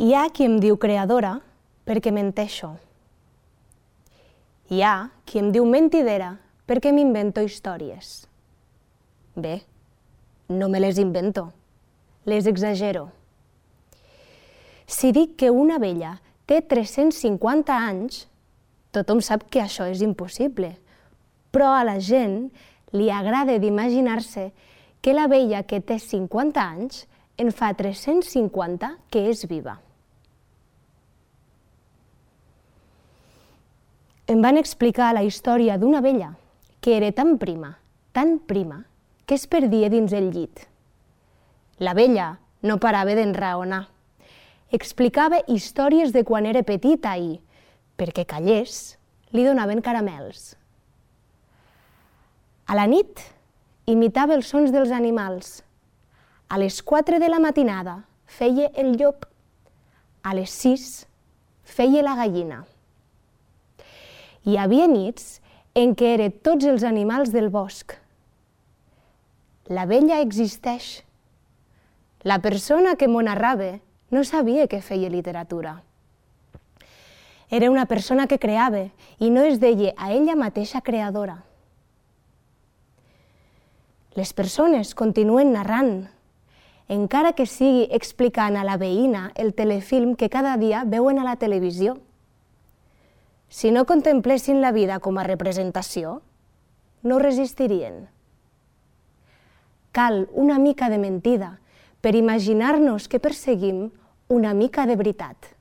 Hi ha qui em diu creadora perquè menteixo. Hi ha qui em diu mentidera perquè m'invento històries. Bé, no me les invento, les exagero. Si dic que una abella té 350 anys, tothom sap que això és impossible, però a la gent li agrada d'imaginar-se que l'abella que té 50 anys en fa 350 que és viva. Em van explicar la història d'una abella que era tan prima, que es perdia dins el llit. L'abella no parava d'enraonar. Explicava històries de quan era petita i, perquè callés, li donaven caramels. A la nit, imitava els sons dels animals. A les 4 de la matinada feia el llop. A les 6 feia la gallina. Hi havia nits en què eren tots els animals del bosc. L'abella existeix. La persona que m'ho narrava no sabia que feia literatura. Era una persona que creava i no es deia a ella mateixa creadora. Les persones continuen narrant, encara que sigui explicant a la veïna el telefilm que cada dia veuen a la televisió. Si no contemplessin la vida com a representació, no resistirien. Cal una mica de mentida per imaginar-nos que perseguim una mica de veritat.